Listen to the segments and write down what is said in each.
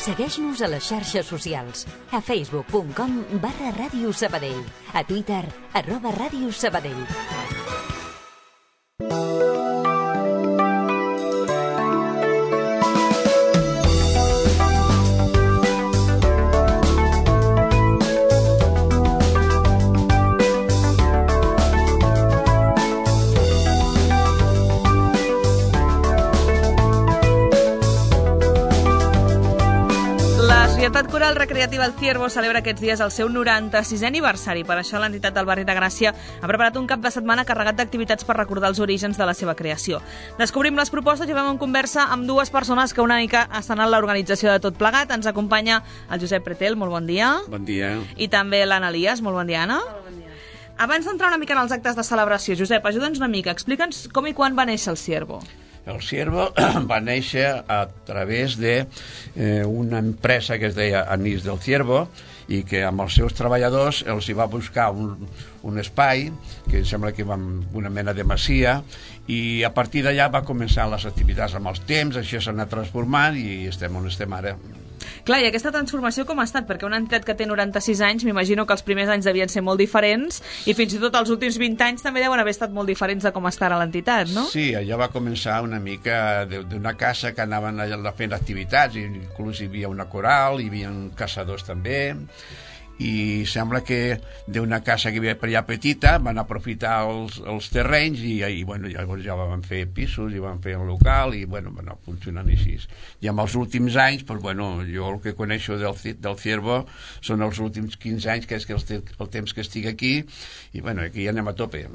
Segueix-nos a les xarxes socials. A facebook.com/Ràdio Sabadell. A Twitter, @Ràdio Sabadell. La Societat Coral Recreativa El Ciervo celebra aquests dies el seu 96è aniversari. Per això l'entitat del barri de Gràcia ha preparat un cap de setmana carregat d'activitats per recordar els orígens de la seva creació. Descobrim les propostes i vam en conversa amb dues persones que una mica estan en l'organització de tot plegat. Ens acompanya el Josep Pretel, molt bon dia. Bon dia. I també l'Anna Elias, molt bon dia, Anna. Molt bon dia. Abans d'entrar una mica en els actes de celebració, Josep, ajuda'ns una mica, explica'ns com i quan va néixer el Ciervo. El Ciervo va néixer a través d'una empresa que es deia Anís del Ciervo i que amb els seus treballadors els hi va buscar un espai, que sembla que va una mena de masia, i a partir d'allà va començar les activitats amb els temps, això s'ha anat transformant i estem on estem ara. Clar, i aquesta transformació com ha estat? Perquè una entitat que té 96 anys, m'imagino que els primers anys devien ser molt diferents i fins i tot els últims 20 anys també deuen haver estat molt diferents de com està ara l'entitat, no? Sí, allà va començar una mica d'una casa que anaven allà fent activitats, inclús hi havia una coral, hi havia caçadors també, i sembla que d'una casa que hi havia per allà petita van aprofitar els terrenys i bueno, llavors ja van fer pisos i van fer un local i bueno, va anar funcionant així. I amb els últims anys, pues, bueno, jo el que coneixo del Ciervo són els últims 15 anys, que és el temps que estic aquí, i bueno, aquí anem a tope.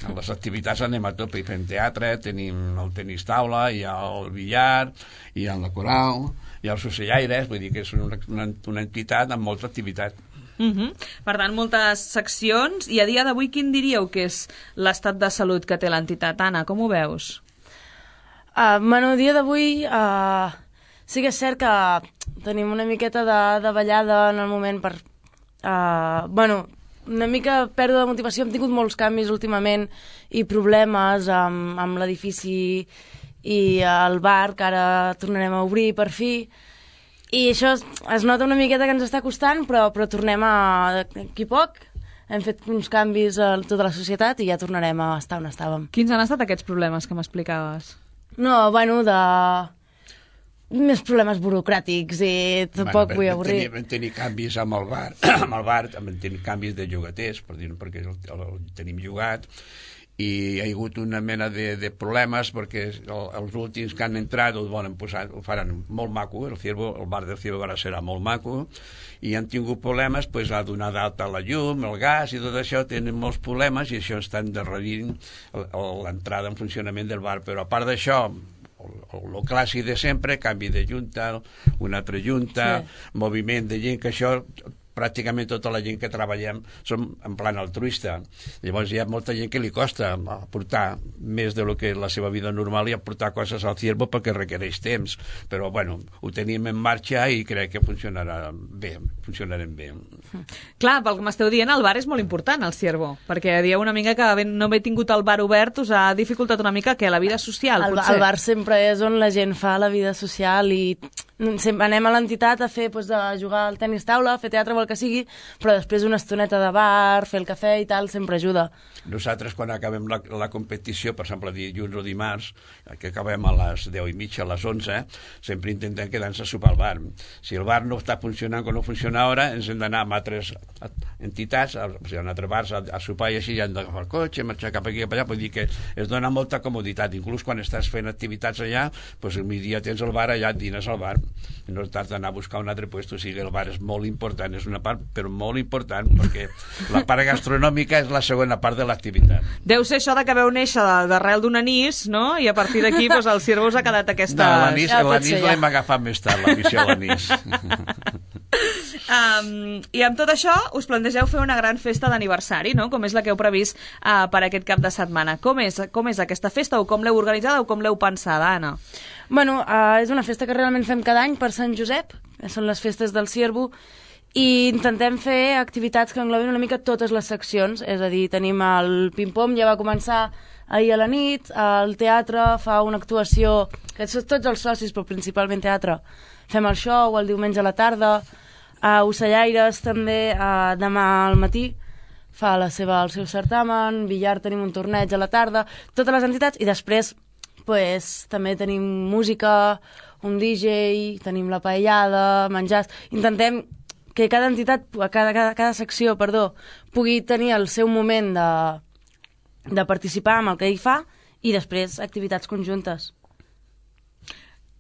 A les activitats anem a tope, fem teatre, tenim el tenis taula, hi ha el billar, hi ha la coral, hi ha els ocellaires, vull dir que és una entitat amb molta activitat. Per tant, moltes seccions. I a dia d'avui, quin diríeu que és l'estat de salut que té l'entitat? Anna, com ho veus? Bueno, a dia d'avui sí que és cert que tenim una miqueta de ballada en el moment per... bueno, una mica pèrdua de motivació. Hem tingut molts canvis últimament i problemes amb l'edifici i el bar, que ara tornarem a obrir per fi. I això es nota una miqueta que ens està costant, però tornem d'aquí poc. Hem fet uns canvis a tota la societat i ja tornarem a estar on estàvem. Quins han estat aquests problemes que m'explicaves? No, bueno, més problemes burocràtics i tampoc vull avorrir. Vam tenir canvis amb el bar, vam tenir canvis de llogaters, per dir-ho, perquè el tenim llogat, i hi ha hagut una mena de problemes perquè els últims que han entrat ho volen posar, ho faran molt maco, el bar del Ciervo ara serà molt maco, i han tingut problemes a donar d'alta la llum, el gas i tot això, tenen molts problemes i això està endarrerint l'entrada en funcionament del bar. Però a part d'això, el clàssic de sempre, canvi de junta, una altra junta, moviment de gent, que això pràcticament tota la gent que treballem som en plan altruista. Llavors hi ha molta gent que li costa aportar més de lo que la seva vida normal i aportar coses al Ciervo perquè requereix temps. Però bueno, ho tenim en marxa i crec que funcionarem bé. Clar, pel que m'esteu dient, el bar és molt important al Ciervo, perquè dieu una mica que no haver tingut el bar obert us ha dificultat una mica que la vida social, potser. El bar sempre és on la gent fa la vida social i anem a l'entitat a fer, a jugar al tenis taula, a fer teatre o el que sigui, però després una estoneta de bar, fer el cafè i tal, sempre ajuda. Nosaltres, quan acabem la competició, per exemple, dilluns o dimarts, que acabem a les 10:30, a les 11, sempre intentem quedar-nos a sopar al bar. Si el bar no està funcionant com no funciona ara, ens hem d'anar amb altres entitats, en altres bars, a sopar, i així ja hem d'agafar el cotxe, marxar cap aquí i cap allà. Vull dir que es dona molta comoditat. Inclús quan estàs fent activitats allà, al migdia tens el bar, allà et dines al bar. No t'has d'anar a buscar un altre lloc. O sigui, el bar és molt important, és una part, però molt important, perquè la part gastronòmica és la segona part de l'activitat. Deu ser això que veu néixer d'arrel d'un anís, no? I a partir d'aquí el Ciervo us ha quedat aquesta... No, l'anís l'hem agafat més tard, l'afició a l'anís. I amb tot això us plantegeu fer una gran festa d'aniversari, no? Com és la que heu previst per aquest cap de setmana. Com és aquesta festa, o com l'heu organitzada, o com l'heu pensada, Anna? Bueno, és una festa que realment fem cada any per Sant Josep, que són les festes del Ciervo, i intentem fer activitats que englobin una mica totes les seccions, és a dir, tenim el ping-pong, ja va començar ahir a la nit, el teatre fa una actuació, que són tots els socis, però principalment teatre, fem el show el diumenge a la tarda, a Ocellaires també demà al matí fa el seu certamen, billar tenim un torneig a la tarda, totes les entitats, i després pues, també tenim música, un DJ, tenim la paellada, menjars, intentem que cada entitat, cada secció, pugui tenir el seu moment de participar amb el que ell fa i després activitats conjuntes.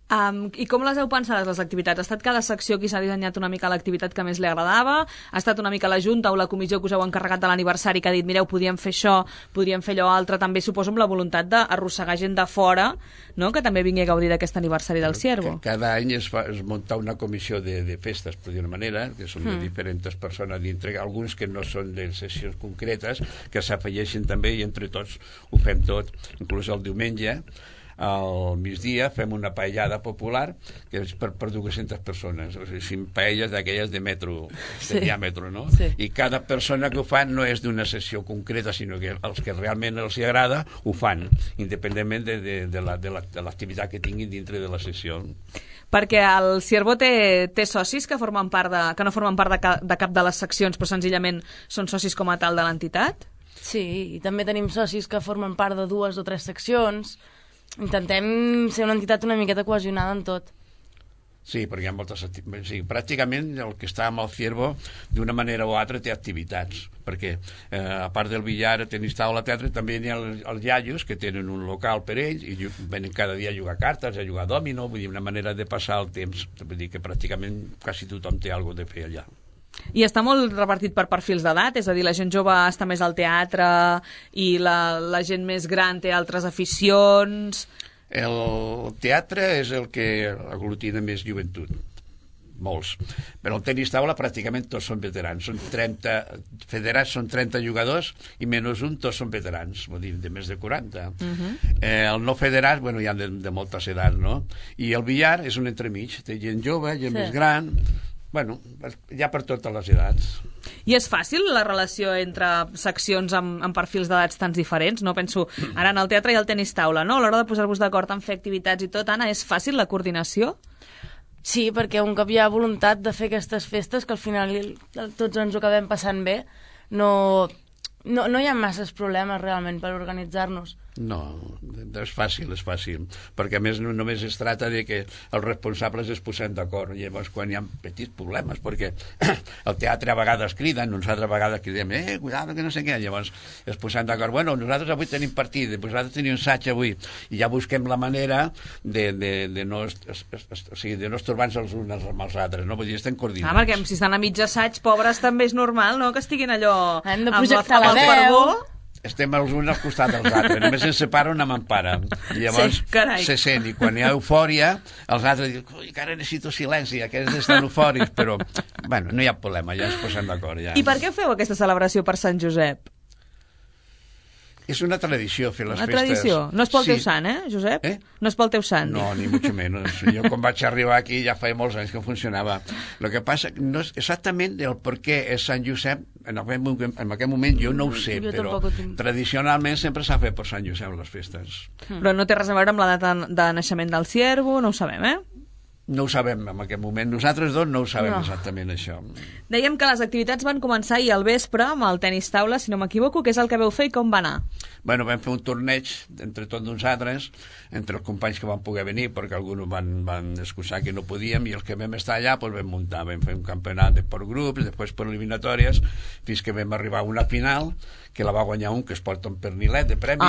I com les heu pensades, les activitats? Ha estat cada secció qui s'ha dissenyat una mica l'activitat que més li agradava? Ha estat una mica la Junta o la comissió que us heu encarregat de l'aniversari que ha dit, mireu, podíem fer això, podríem fer allò altre, també suposo amb la voluntat d'arrossegar gent de fora, no?, que també vingui a gaudir d'aquest aniversari del Ciervo. Cada any es munta una comissió de festes, per dir una manera, que són de diferents persones dintre, alguns que no són de sessions concretes, que s'afegeixen també i entre tots ho fem tot, inclús el diumenge al migdia fem una paellada popular que és per 200 persones, o sigui, 5 paelles d'aquelles de metro, de diàmetre, no? Sí. I cada persona que ho fan no és d'una sessió concreta, sinó que els que realment els agrada ho fan, independentment de l'activitat que tinguin dintre de la sessió. Perquè el Ciervo té socis que no formen part de cap de les seccions, però senzillament són socis com a tal de l'entitat? Sí, i també tenim socis que formen part de 2 o 3 seccions. Intentem ser una entitat una miqueta cohesionada en tot. Sí, perquè hi ha moltes activitats. Sí, pràcticament el que està amb el Ciervo, d'una manera o altra, té activitats. Perquè, a part del billar, tenis taula, teatre, també hi ha els iaios, que tenen un local per ells, i venen cada dia a jugar cartes, a jugar dòmino, vull dir, una manera de passar el temps. Vull dir que pràcticament quasi tothom té alguna cosa de fer allà. I està molt repartit per perfils d'edat, és a dir, la gent jove està més al teatre i la gent més gran té altres aficions. El teatre és el que aglutina més joventut, molts. Però el tenis taula pràcticament tots són veterans. Són 30 federats, són 30 jugadors i menys un tots són veterans, vull dir, de més de 40. El no federat, bueno, hi ha de moltes edats, no? I el billar és un entremig, té gent jove, gent més gran. Bueno, hi ha per totes les edats. I és fàcil la relació entre seccions amb perfils d'edats tan diferents? No penso, ara en el teatre hi ha el tenis taula, no? A l'hora de posar-vos d'acord en fer activitats i tot, Anna, és fàcil la coordinació? Sí, perquè un cop hi ha voluntat de fer aquestes festes, que al final tots ens ho acabem passant bé, no hi ha masses problemes realment per organitzar-nos. No, és fàcil, perquè a més només es tracta de que els responsables es posen d'acord. Llavors quan hi ha petits problemes, perquè el teatre a vegades criden, nosaltres a vegades cridem, cuidado que no sé què, llavors es posen d'acord, bueno, nosaltres avui tenim partit, nosaltres tenim assaig avui, i ja busquem la manera de no estorbar-nos els uns amb els altres, no? Vull dir, estem coordinats. Perquè si estan a mig assaig, pobres, també és normal, no?, que estiguin allò hem de projectar la veu. Estem els uns al costat dels altres, només ens separa una mampara. I llavors se sent, i quan hi ha eufòria, els altres diuen, ui, que ara necessito silenci, aquests estan eufòrics, però, bueno, no hi ha problema, ja ens posem d'acord. Ja. I per què feu aquesta celebració per Sant Josep? És una tradició fer les festes. Una tradició? No és pel teu sant, Josep? No és pel teu sant. No, ni mucho menos. Jo quan vaig arribar aquí ja feia molts anys que funcionava. Lo que passa no és exactament el per què és Sant Josep, en aquest moment jo no ho sé, però tradicionalment sempre s'ha fet per Sant Josep les festes. Però no té res a veure amb la data de naixement del Ciervo, no ho sabem, No ho sabem en aquest moment. Nosaltres dos no ho sabem exactament, això. Dèiem que les activitats van començar ahir al vespre amb el tenis taula, si no m'equivoco, què és el que veu fer i com va anar? Bueno, vam fer un torneig entre tots nosaltres, entre els companys que van poder venir, perquè alguns van excusar que no podíem, i els que vam estar allà doncs vam muntar, vam fer un campionat per grups, després per eliminatòries, fins que vam arribar a una final, que la va guanyar un que es porta un pernilet de premi.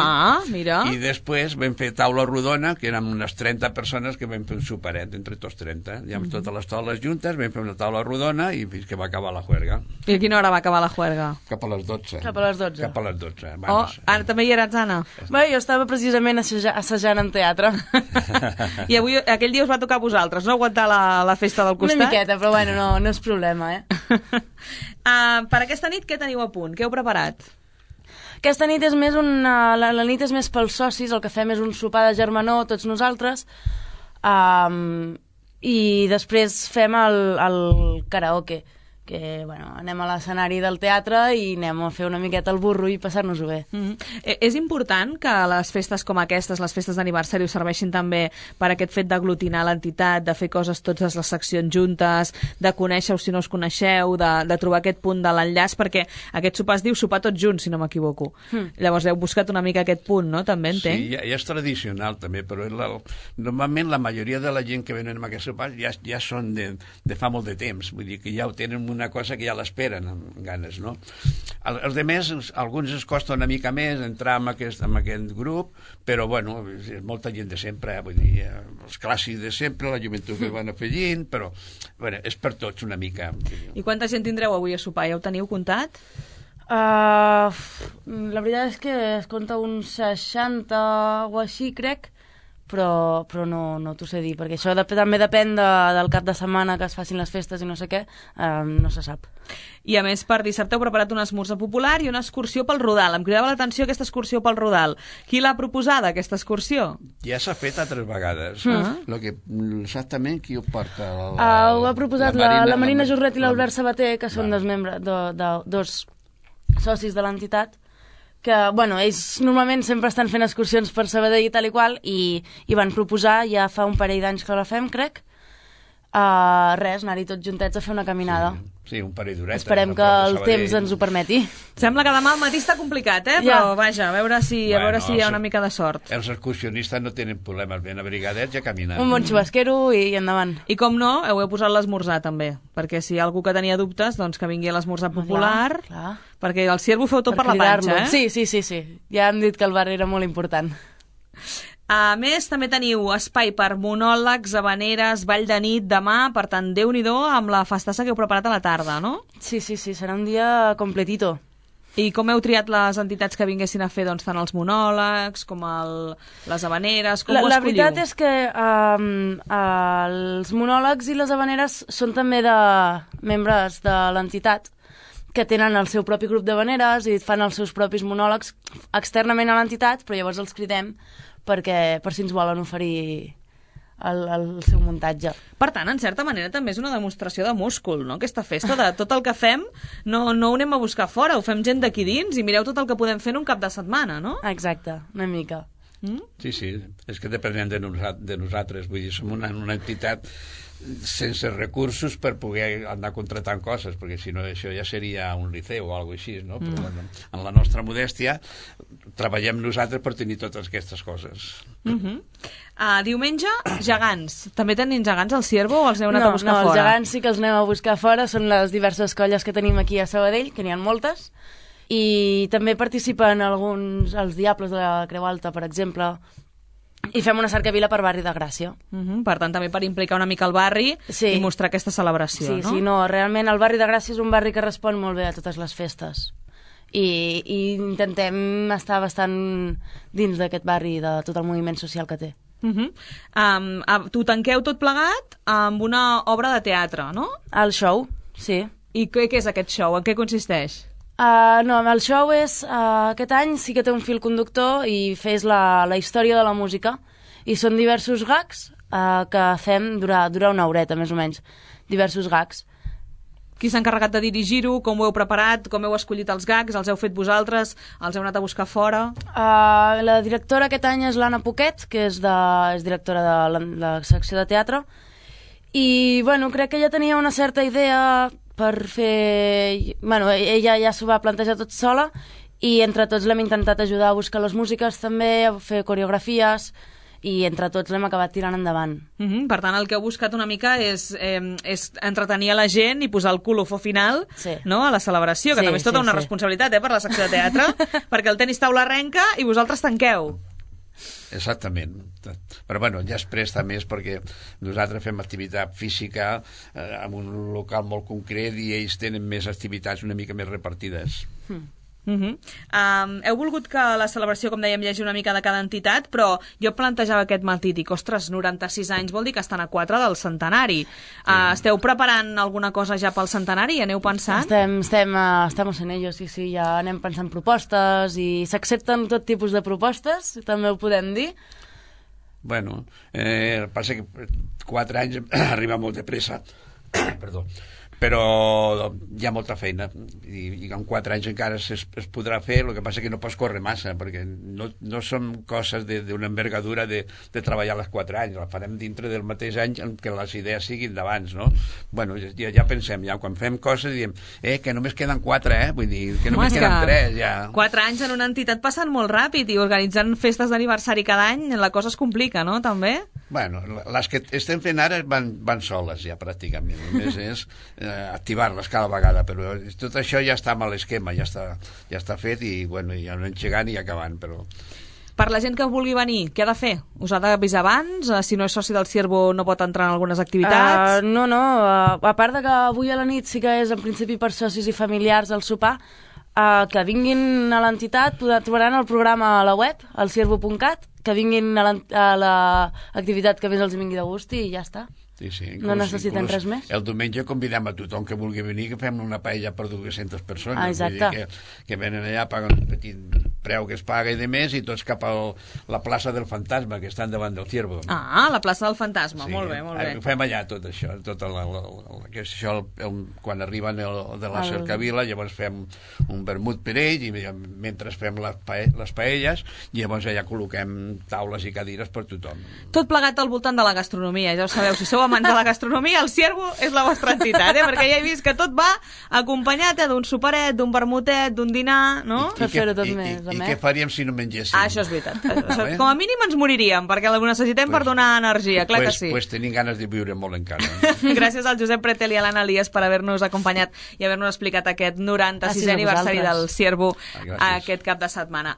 Mira. I després vam fer taula rodona, que érem unes 30 persones que vam fer un superet entre tots 30. Ja amb totes les taules juntes vam fer una taula rodona i fins que va acabar la juerga. I a quina hora va acabar la juerga? Cap a les 12. Cap a les 12. Cap a les 12. Ara també hi eres, Anna? Bé, jo estava precisament assajant en teatre. I avui, aquell dia us va tocar a vosaltres, no? Aguantar la festa del costat? Una miqueta, però bueno, no és problema, Per aquesta nit què teniu a punt? Què heu preparat? Aquesta nit és més la nit és més pels socis, el que fem és un sopar de germanor, tots nosaltres, i després fem el karaoke, que bueno, anem a l'escenari del teatre i anem a fer una miqueta el burro i passar-nos-ho bé. És important que les festes com aquestes, les festes d'aniversari, us serveixin també per aquest fet d'aglutinar l'entitat, de fer coses totes les seccions juntes, de conèixer-us si no us coneixeu, de trobar aquest punt de l'enllaç, perquè aquest sopar es diu sopar tots junts, si no m'equivoco. Llavors heu buscat una mica aquest punt, no? També entenc? Sí, ja és tradicional també, però normalment la majoria de la gent que venen a aquest sopar ja són de fa molt de temps, vull dir que ja ho tenen una cosa que ja l'esperen amb ganes, no? Els demés, alguns es costa una mica més entrar en aquest grup, però bueno, és molta gent de sempre, vull dir, els clàssics de sempre, la joventut que van afegint, però bueno, és per tots una mica. I quanta gent tindreu avui a sopar? Ja ho teniu comptat? La veritat és que es compta uns 60 o així, crec, però no t'ho sé dir, perquè això també depèn del cap de setmana que es facin les festes i no sé què, no se sap. I a més, per dissabte heu preparat un esmorzar popular i una excursió pel Rodal. Em cridava l'atenció aquesta excursió pel Rodal. Qui l'ha proposada, aquesta excursió? Ja s'ha fet altres vegades. Exactament qui ho porta? Ho ha proposat la Marina Jorret i l'Albert Sabater, que són dos socis de l'entitat, que, bueno, ells normalment sempre estan fent excursions per Sabadell i tal i qual, i van proposar, ja fa un parell d'anys que la fem, crec, anar-hi tots juntets a fer una caminada. Sí, un parell d'horetes. Esperem que el temps ens ho permeti. Sembla que demà al matí està complicat, però vaja, a veure si hi ha una mica de sort. Els excursionistes no tenen problemes, ben abrigadets i a caminar. Un bon xubasquero i endavant. I com no, heu posat l'esmorzar també, perquè si hi ha algú que tenia dubtes, doncs que vingui a l'esmorzar popular, clar. Perquè el Ciervo feu tot per la panxa, Sí. Ja hem dit que el bar era molt important. A més, també teniu espai per monòlegs, habaneres, ball de nit demà, per tant, Déu-n'hi-do amb la festassa que heu preparat a la tarda, no? Sí, serà un dia completito. I com heu triat les entitats que vinguessin a fer doncs, tant els monòlegs com les habaneres? Com ho escolliu? La veritat és que els monòlegs i les habaneres són també de membres de l'entitat, que tenen el seu propi grup d'habaneres i fan els seus propis monòlegs externament a l'entitat, però llavors els cridem per si ens volen oferir el seu muntatge. Per tant, en certa manera, també és una demostració de múscul, no? Aquesta festa, de tot el que fem, no ho anem a buscar fora, ho fem gent d'aquí dins i mireu tot el que podem fer en un cap de setmana, no? Exacte, una mica. Sí, és que depenem de nosaltres, vull dir, som una entitat sense recursos per poder anar contratant coses, perquè si no això ja seria un liceu o alguna cosa així, no? Però bueno, en la nostra modèstia treballem nosaltres per tenir totes aquestes coses. Diumenge, gegants. També tenim gegants al Ciervo o els heu anat a buscar fora? No, els gegants sí que els anem a buscar fora, són les diverses colles que tenim aquí a Sabadell, que n'hi ha moltes, i també participen alguns, els Diables de la Creu Alta, per exemple, i fem una cercavila per barri de Gràcia. Per tant, també per implicar una mica el barri i mostrar aquesta celebració, no? Sí, realment el barri de Gràcia és un barri que respon molt bé a totes les festes. I intentem estar bastant dins d'aquest barri, de tot el moviment social que té. Tu tanqueu tot plegat amb una obra de teatre, no? El show, sí. I què és aquest show? En què consisteix? No, el show és... aquest any sí que té un fil conductor i fes la història de la música. I són diversos gags que fem durar una horeta, més o menys. Diversos gags. Qui s'ha encarregat de dirigir-ho? Com ho heu preparat? Com heu escollit els gags? Els heu fet vosaltres? Els heu anat a buscar fora? La directora aquest any és l'Anna Poquet, que és directora de la secció de teatre. I, bueno, crec que ella tenia una certa idea per fer... Bueno, ella ja s'ho va plantejar tot sola i entre tots l'hem intentat ajudar a buscar les músiques també, a fer coreografies i entre tots l'hem acabat tirant endavant. Per tant, el que heu buscat una mica és entretenir a la gent i posar el colofó final no, a la celebració, que també és tota una responsabilitat per la secció de teatre, perquè el tenis taula arrenca i vosaltres tanqueu. Exactament, però bueno, ja es presta més perquè nosaltres fem activitat física en un local molt concret i ells tenen més activitats una mica més repartides. Heu volgut que la celebració, com dèiem, hi hagi una mica de cada entitat, però jo plantejava aquest matí, dic, ostres, 96 anys vol dir que estan a 4 del centenari. Esteu preparant alguna cosa ja pel centenari? Aneu pensant? Estamos en ello, sí, ja anem pensant propostes i s'accepten tot tipus de propostes, també ho podem dir. Bueno, passa que 4 anys arriba molt de pressa. Perdó. però hi ha molta feina i en 4 anys encara es podrà fer. El que passa que no pots córrer massa, perquè no són coses d'una envergadura de treballar les 4 anys, la farem dintre del mateix any en què les idees siguin d'abans, no? Bueno, ja pensem, ja quan fem coses diem, que només queden 4, vull dir, que només queden 3, ja. 4 anys en una entitat passen molt ràpid i organitzant festes d'aniversari cada any la cosa es complica, no?, també? Bueno, les que estem fent ara van soles ja pràcticament, només és activar-les cada vegada, però tot això ja està amb l'esquema, ja està fet i bueno, ja no engegant i acabant, però... Per la gent que vulgui venir, què ha de fer? Us ha d'avisar abans? Si no és soci del Ciervo no pot entrar en algunes activitats? No, a part de que avui a la nit sí que és en principi per socis i familiars al sopar, que vinguin a l'entitat, trobaran el programa a la web, al ciervo.cat, que vinguin a l'activitat que més els vingui de gust i ja està. Sí, no necessiten res més. El diumenge convidem a tothom que vulgui venir, que fem una paella per 200 persones. Exacte. Vull dir que venen allà, paguen un petit preu que es paga i de més, i tots cap a la plaça del Fantasma, que estan davant del Ciervo. La plaça del Fantasma, sí, molt bé. Ho fem allà tot això, quan arriben de la cercavila, llavors fem un vermut per ells, i mentre fem les paelles, llavors allà col·loquem taules i cadires per tothom. Tot plegat al voltant de la gastronomia, ja ho sabeu, si sou amants de la gastronomia, el Ciervo és la vostra entitat, perquè ja he vist que tot va acompanyat d'un soparet, d'un vermutet, d'un dinar, no? Per fer-ho tot més. I què faríem si no mengéssim? Això és veritat. Com a mínim ens moriríem, perquè ho necessitem per donar energia, clar que sí. Pues tenim ganes de viure molt encara. Gràcies al Josep Pretel i a l'Anna Elias per haver-nos acompanyat i haver-nos explicat aquest 96è aniversari del Ciervo aquest cap de setmana.